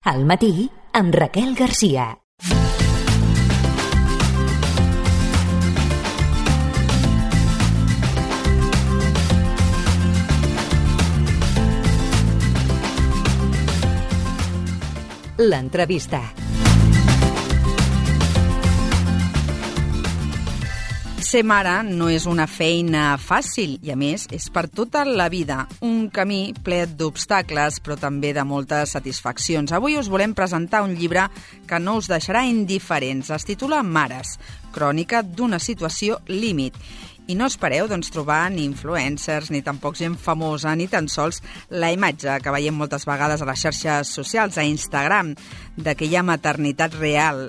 Al matí, amb Raquel Garcia. L'entrevista. Ser mare no és una feina fàcil i, a més, és per tota la vida. Un camí ple d'obstacles, però també de moltes satisfaccions. Avui us volem presentar un llibre que no us deixarà indiferents. Es titula Mares, crònica d'una situació límit. I no espereu trobar ni influencers, ni tampoc gent famosa, ni tan sols la imatge que veiem moltes vegades a les xarxes socials, a Instagram, d'aquella maternitat real,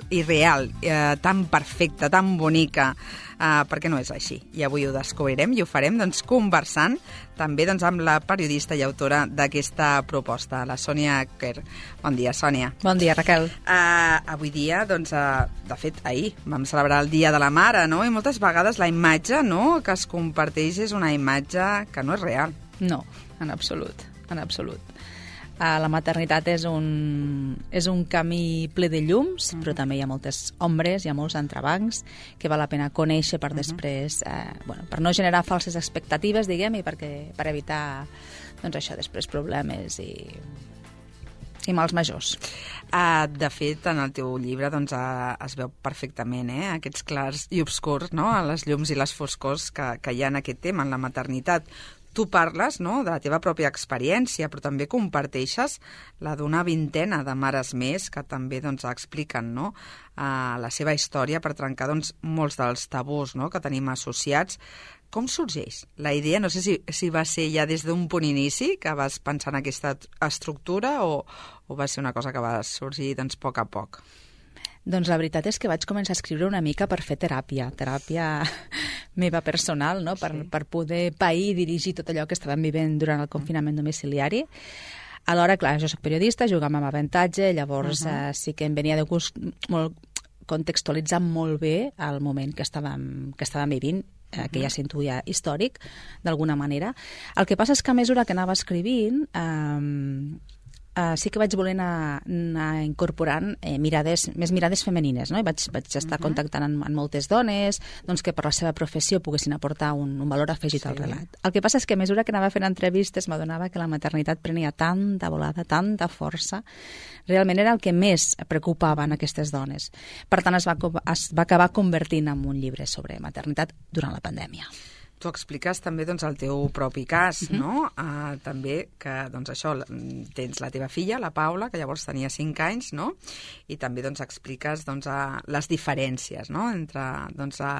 tan perfecta, tan bonica, perquè no és així. I avui ho descobrirem i ho farem conversant també amb la periodista i autora d'aquesta proposta, la Sònia Quer. Bon dia, Sònia. Bon dia, Raquel. Avui dia, de fet, ahir vam celebrar el Dia de la Mare, no? I moltes vegades la imatge que es comparteix és una imatge que no és real. No, en absolut, en absolut. La maternitat és un camí ple de llums, però també hi ha moltes ombres, hi ha molts entrebancs que val la pena conèixer per després, per no generar falses expectatives, diguem, i per evitar, això, després problemes i mals majors. De fet, en el teu llibre es veu perfectament aquests clars i obscurs, les llums i les foscors que hi ha en aquest tema, en la maternitat. Tu parles de la teva pròpia experiència, però també comparteixes la d'una vintena de mares més que també expliquen la seva història per trencar molts dels tabús que tenim associats. Com sorgeix la idea? No sé si va ser ja des d'un punt inici que vas pensar en aquesta estructura o va ser una cosa que va sorgir a poc a poc? Doncs la veritat és que vaig començar a escriure una mica per fer teràpia meva personal, per poder pair i dirigir tot allò que estàvem vivint durant el confinament domiciliari. Alhora, clar, jo soc periodista, jugàvem amb avantatge, llavors sí que em venia de gust contextualitzar molt bé el moment que estàvem vivint, que ja s'intuïa històric, d'alguna manera. El que passa és que a mesura que anava escrivint, sí que vaig voler anar incorporant més mirades femenines, no? I vaig estar contactant amb moltes dones que per la seva professió poguessin aportar un valor afegit al relat. El que passa és que a mesura que anava fent entrevistes m'adonava que la maternitat prenia tanta volada, tanta força, realment era el que més preocupava en aquestes dones. Per tant, es va acabar convertint en un llibre sobre maternitat durant la pandèmia. Tu expliques també el teu propi cas, no? També que, això, tens la teva filla, la Paula, que llavors tenia 5 anys, no? I també expliques les diferències entre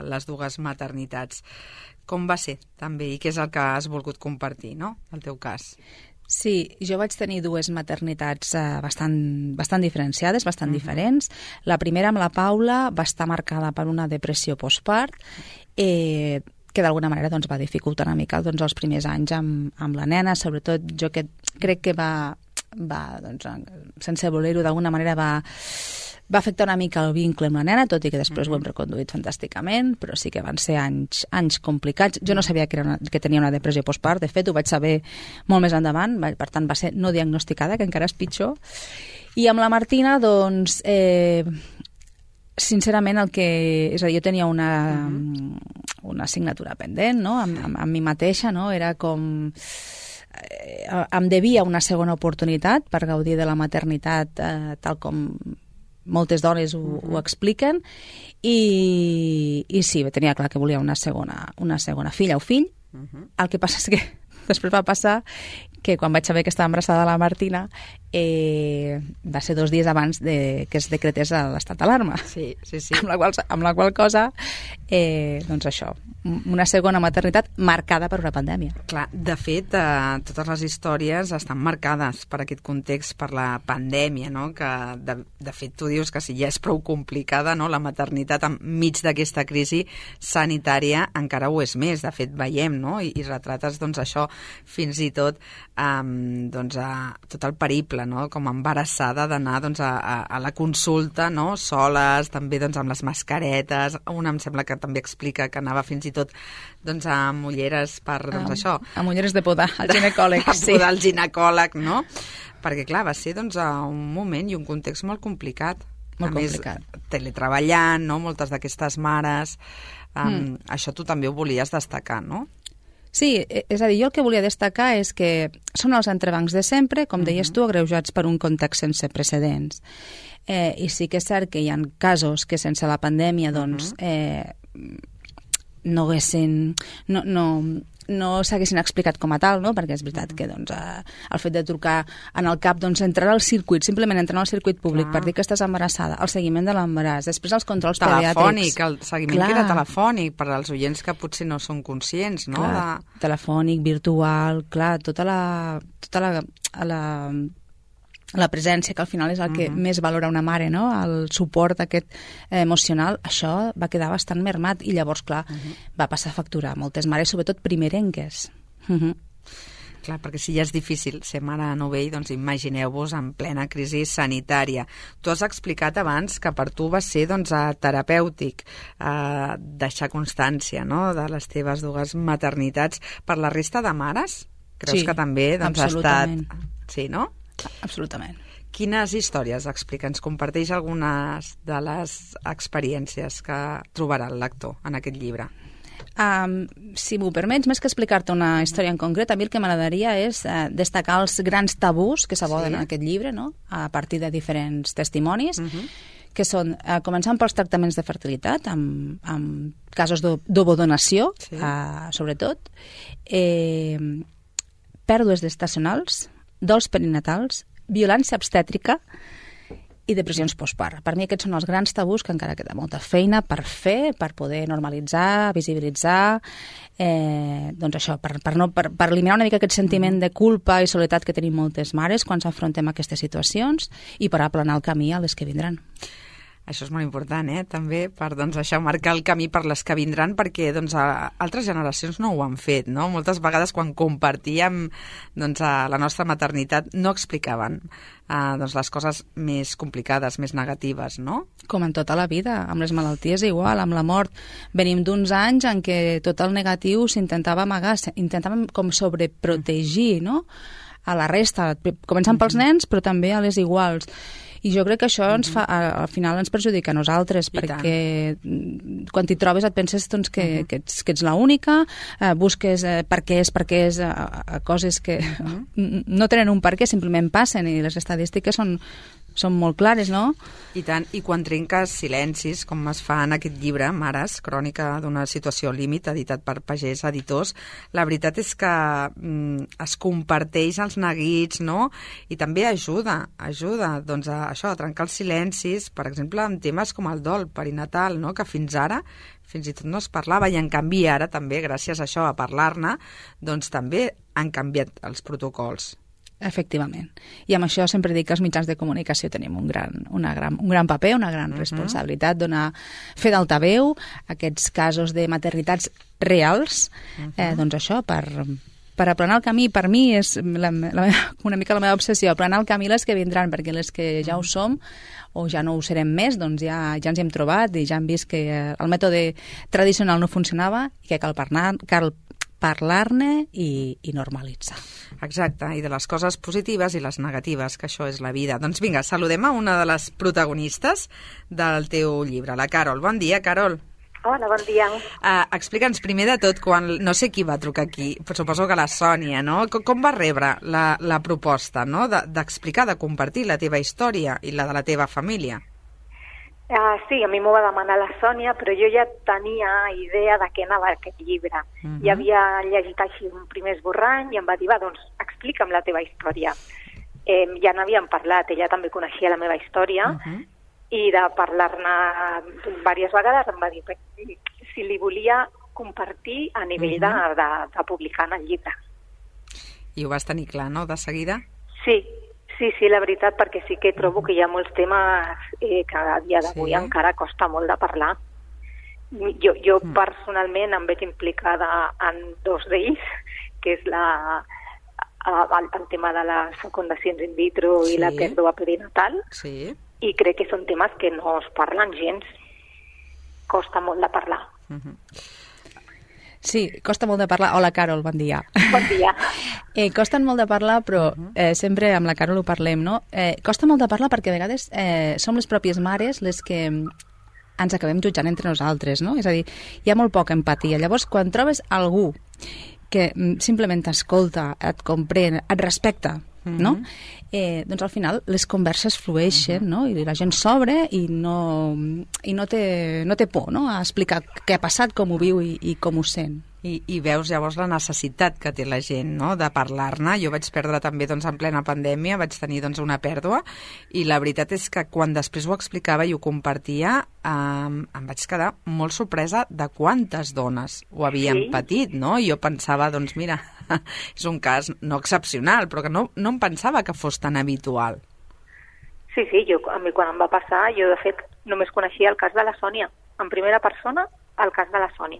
les dues maternitats. Com va ser, també, i què és el que has volgut compartir, no?, el teu cas? Sí, jo vaig tenir dues maternitats bastant diferenciades, bastant diferents. La primera, amb la Paula, va estar marcada per una depressió postpart, que d'alguna manera va dificultar una mica els primers anys amb la nena, sobretot jo que crec que va sense voler-ho d'alguna manera va afectar una mica el vincle amb la nena, tot i que després ho hem reconduït fantàsticament, però sí que van ser anys complicats. Jo no sabia que tenia una depressió postpart, de fet ho vaig saber molt més endavant, per tant va ser no diagnosticada, que encara és pitjor. I amb la Martina, sincerament, és a dir, jo tenia una assignatura pendent, no?, amb mi mateixa, no?, era com em devia una segona oportunitat per gaudir de la maternitat tal com moltes dones ho expliquen, i sí, tenia clar que volia una segona filla o fill. El que passa és que després va passar que quan vaig saber que estava embarassada la Martina va ser 2 dies abans que es decretés l'estat d'alarma. Sí. Amb la qual cosa, això, una segona maternitat marcada per una pandèmia. Clar, de fet, totes les històries estan marcades per aquest context, per la pandèmia, no?, que de fet tu dius que si ja és prou complicada, no?, la maternitat enmig d'aquesta crisi sanitària encara ho és més. De fet, veiem, no?, i retrates això fins i tot tot el periple exemple, no? Com embarassada d'anar doncs, a la consulta, no? Soles, també doncs, amb les mascaretes. Una em sembla que també explica que anava fins i tot doncs, amb ulleres per això. Amb ulleres de podar, al ginecòleg. Sí. Podar al ginecòleg, no? Perquè, clar, va ser doncs, un moment i un context molt complicat. Molt complicat. Més, teletreballant, no? Moltes d'aquestes mares. Això tu també ho volies destacar, no? Sí, és a dir, jo el que volia destacar és que són els entrebancs de sempre, com deies tu, agreujats per un context sense precedents. I sí que és cert que hi ha casos que sense la pandèmia doncs, no haguessin... no s'haguessin explicat com a tal, no? Perquè és veritat que doncs, el fet de trucar en el CAP, doncs, entrar al circuit, simplement entrar al circuit públic per dir que estàs embarassada, el seguiment de l'embaràs, després els controls telefònic, pediàtrics. El seguiment que era telefònic, per als oients que potser no són conscients, no? Clar, telefònic, virtual, clar, tota la presència, que al final és el que més valora una mare, no? El suport aquest emocional, això va quedar bastant mermat i llavors, clar, va passar factura a moltes mares, sobretot primerenques. Clar, perquè si ja és difícil ser mare de novell, doncs imagineu-vos en plena crisi sanitària. Tu has explicat abans que per tu va ser doncs, terapèutic deixar constància, no?, de les teves dues maternitats. Per la resta de mares, creus que també doncs, ha estat... Sí, no? Absolutament. Quines històries explica? Ens comparteix algunes de les experiències que trobarà el lector en aquest llibre. Si m'ho permets, més que explicar-te una història en concret, a mi el que m'agradaria és destacar els grans tabús que s'aborden en aquest llibre, no? A partir de diferents testimonis, que són, començant pels tractaments de fertilitat, amb casos d'ovodonació, sobretot, pèrdues gestacionals, dols perinatals, violència obstètrica i depressions postpart. Per mi aquests són els grans tabús que encara queda molta feina per fer, per poder normalitzar, visibilitzar, doncs això, per eliminar una mica aquest sentiment de culpa i soledat que tenim moltes mares quan s'afrontem a aquestes situacions i per aplanar el camí a les que vindran. Això és molt important, també, per doncs, això, marcar el camí per les que vindran, perquè doncs, altres generacions no ho han fet, no? Moltes vegades quan compartíem doncs, la nostra maternitat no explicaven doncs, les coses més complicades, més negatives, no? Com en tota la vida, amb les malalties igual, amb la mort. Venim d'uns anys en què tot el negatiu s'intentava amagar, intentàvem com sobreprotegir, no?, a la resta, començant pels nens, però també a les iguals. I jo crec que això ens fa, al final ens perjudica a nosaltres, perquè quan t'hi trobes et penses doncs, que ets l'única, busques per què és coses que no tenen un per què, simplement passen, i les estadístiques són molt clares, no? I tant, i quan trenques silencis, com es fa en aquest llibre, Mares, crònica d'una situació límit, editat per Pagès Editors, la veritat és que es comparteix els neguits, no? I també ajuda doncs, a trencar els silencis, per exemple, en temes com el dol perinatal, no?, que fins ara fins i tot no es parlava, i en canvi ara també, gràcies a això, a parlar-ne, doncs també han canviat els protocols. Efectivament. I amb això sempre dic que els mitjans de comunicació tenim un gran paper, una gran responsabilitat, donar fe d'altaveu a aquests casos de maternitats reals, doncs això, per aplanar el camí. Per mi és una mica la meva obsessió, aplanar el camí les que vindran, perquè les que ja ho som o ja no ho serem més, doncs ja ens hi hem trobat i ja hem vist que el mètode tradicional no funcionava i que cal parlar-ne i normalitzar. Exacte, i de les coses positives i les negatives, que això és la vida. Doncs vinga, saludem a una de les protagonistes del teu llibre, la Carol. Bon dia, Carol. Hola, bon dia. Explica'ns primer de tot, no sé qui va trucar aquí, però suposo que la Sònia, no? Com va rebre la proposta, no?, d'explicar, de compartir la teva història i la de la teva família? Sí, a mi m'ho va demanar la Sònia, però jo ja tenia idea de què anava aquest llibre. Ja havia llegit així un primer esborrany i em va dir, va, doncs explica'm la teva història. Ja n'havíem parlat, ella també coneixia la meva història, i de parlar-ne diverses vegades em va dir si li volia compartir a nivell de publicar en el llibre. I ho vas tenir clar, no?, de seguida? Sí, la veritat, perquè sí que trobo que hi ha molts temes que a dia d'avui encara costa molt de parlar. Jo personalment em veig implicada en dos d'ells, que és el tema de les fecundacions in vitro i la pèrdua perinatal, i crec que són temes que no es parlen gens. Costa molt de parlar. Sí, costa molt de parlar. Hola, Carol, bon dia. Bon dia. Costen molt de parlar, però sempre amb la Carol ho parlem, no? Costa molt de parlar perquè a vegades som les pròpies mares les que ens acabem jutjant entre nosaltres, no? És a dir, hi ha molt poca empatia. Llavors, quan trobes algú que simplement t'escolta, et comprèn, et respecta, no? Doncs al final les converses flueixen, no? I la gent s'obre i no té por, no? A explicar què ha passat, com ho viu i com ho sent. I veus llavors la necessitat que té la gent, no?, de parlar-ne. Jo vaig perdre també en plena pandèmia, vaig tenir una pèrdua, i la veritat és que quan després ho explicava i ho compartia em vaig quedar molt sorpresa de quantes dones ho havien patit, no? I jo pensava, mira, és un cas no excepcional, però que no em pensava que fos tan habitual. Sí, a mi quan em va passar, jo de fet només coneixia el cas de la Sònia, en primera persona el cas de la Sònia.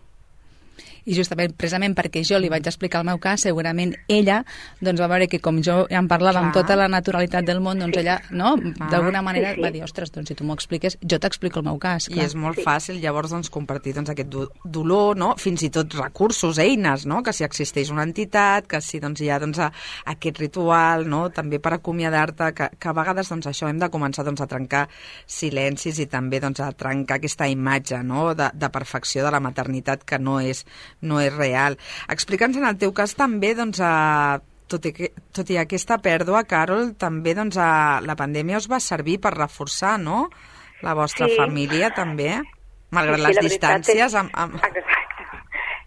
I justament, precisament perquè jo li vaig explicar el meu cas, segurament ella va veure que com jo em parlava amb tota la naturalitat del món, ella, no, d'alguna manera va dir, ostres, si tu m'ho expliques, jo t'explico el meu cas. I és molt fàcil llavors compartir aquest dolor, no? Fins i tot recursos, eines, no? Que si existeix una entitat, que si hi ha aquest ritual, no? També per acomiadar-te, que a vegades això hem de començar a trencar silencis i també a trencar aquesta imatge, no? De perfecció de la maternitat que no és real. Explica'ns en el teu cas també, tot i aquesta pèrdua, Carol, també la pandèmia us va servir per reforçar, no?, la vostra família també, malgrat les distàncies. Exacte.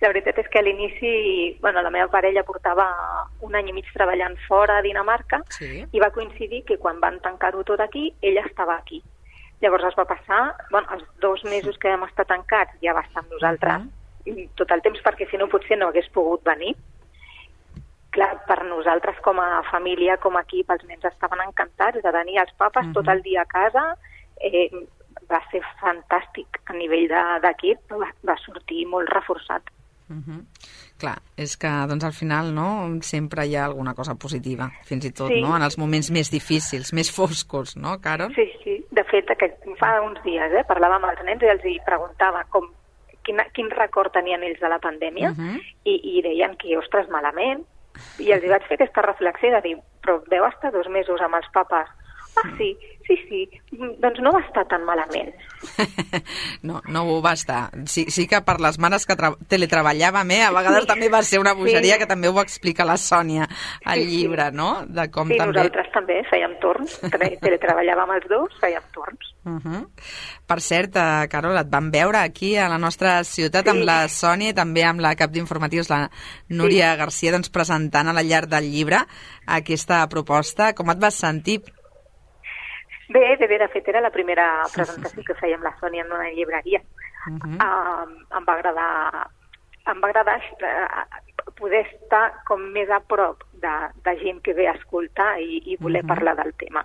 La veritat és que a l'inici, la meva parella portava 1 any i mig treballant fora a Dinamarca i va coincidir que quan van tancar-ho tot aquí, ella estava aquí. Llavors es va passar, els 2 mesos que vam estar tancats ja va estar amb nosaltres tot el temps, perquè si no potser no hagués pogut venir. Clar, per nosaltres com a família, com a equip, els nens estaven encantats de tenir els papes tot el dia a casa. Va ser fantàstic a nivell d'equip, va sortir molt reforçat. Clar, és que al final sempre hi ha alguna cosa positiva, fins i tot en els moments més difícils, més foscos, no, Carol? Sí. De fet, fa uns dies parlava amb els nens i els preguntava quin record tenien ells de la pandèmia i deien que, ostres, malament. I els vaig fer aquesta reflexió de dir, però veu estar 2 mesos amb els papes? Ah, sí, doncs no va estar tan malament. No ho va estar. Sí que per les mares que teletreballàvem, a vegades també va ser una bogeria, que també ho explica la Sònia al llibre, no? De com també... nosaltres també fèiem torns, teletreballàvem els dos, fèiem torns. Per cert, Carol, et vam veure aquí a la nostra ciutat amb la Sònia i també amb la cap d'informatius, la Núria Garcia, presentant a la llar del llibre aquesta proposta. Com et vas sentir? Bé, de fet era la primera presentació que fèiem la Sònia en una llibreria. Em va agradar poder estar com més a prop de gent que ve a escoltar i voler parlar del tema.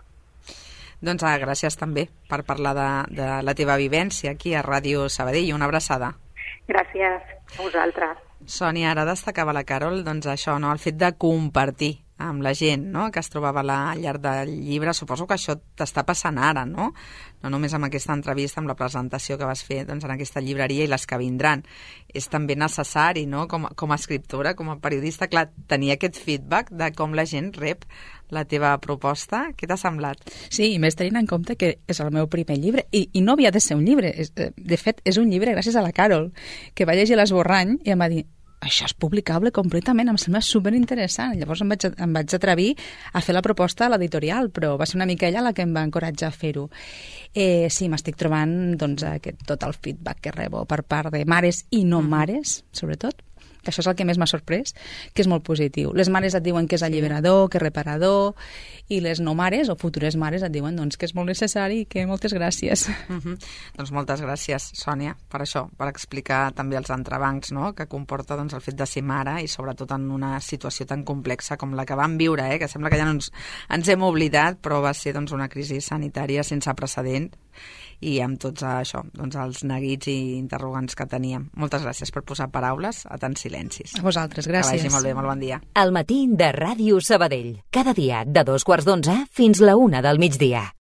Doncs gràcies també per parlar de la teva vivència aquí a Ràdio Sabadell. Una abraçada. Gràcies a vosaltres. Sònia, ara destacava la Carol això, el fet de compartir amb la gent, no?, que es trobava a la llar del llibre. Suposo que això t'està passant ara, no? No només amb aquesta entrevista, amb la presentació que vas fer en aquesta llibreria i les que vindran. És també necessari, no?, com a escriptora, com a periodista, clar, tenir aquest feedback de com la gent rep la teva proposta. Què t'ha semblat? Sí, i més tenint en compte que és el meu primer llibre, i no havia de ser un llibre. De fet, és un llibre gràcies a la Carol, que va llegir l'esborrany i em va dir, això és publicable completament, em sembla superinteressant. Llavors em vaig atrevir a fer la proposta a l'editorial, però va ser una mica ella la que em va encoratjar a fer-ho. Sí, m'estic trobant tot el feedback que rebo per part de mares i no mares, sobretot, que això és el que més m'ha sorprès, que és molt positiu. Les mares et diuen que és alliberador, que és reparador, i les no mares o futures mares et diuen que és molt necessari i que moltes gràcies. Doncs moltes gràcies, Sònia, per això, per explicar també els entrebancs, no?, que comporta el fet de ser mare i sobretot en una situació tan complexa com la que vam viure, que sembla que ja ens hem oblidat, però va ser una crisi sanitària sense precedent i amb tots això, doncs els neguits i interrogants que teníem. Moltes gràcies per posar paraules a tants silencis. A vosaltres, gràcies. Que vagi molt bé, molt bon dia. Al matí de Ràdio Sabadell. Cada dia de 2:15 fins la 1 del migdia.